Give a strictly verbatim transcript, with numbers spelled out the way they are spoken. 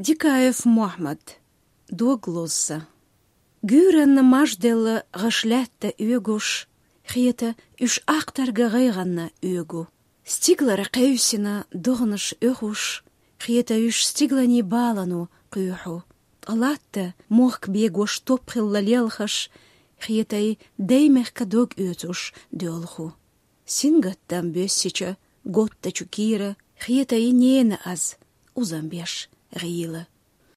Дикаев Мохьмад. Дог лозза. Гуьйранна мажделла гӀаш лаьтта оьгуш, хета уьш ахтарга гӀайгӀанна оьгу. Стигалара кхевсина догӀанаш оьхуш, хета уьш стигаланийн балано кхоьхьу. Ткъа латта мохк бегош топ хилла лелхаш, хетий даймехка дог оьцуш доьлху. Сингаттам боьссича готтачу кийра, хетий нена аз узам беш гӀийла.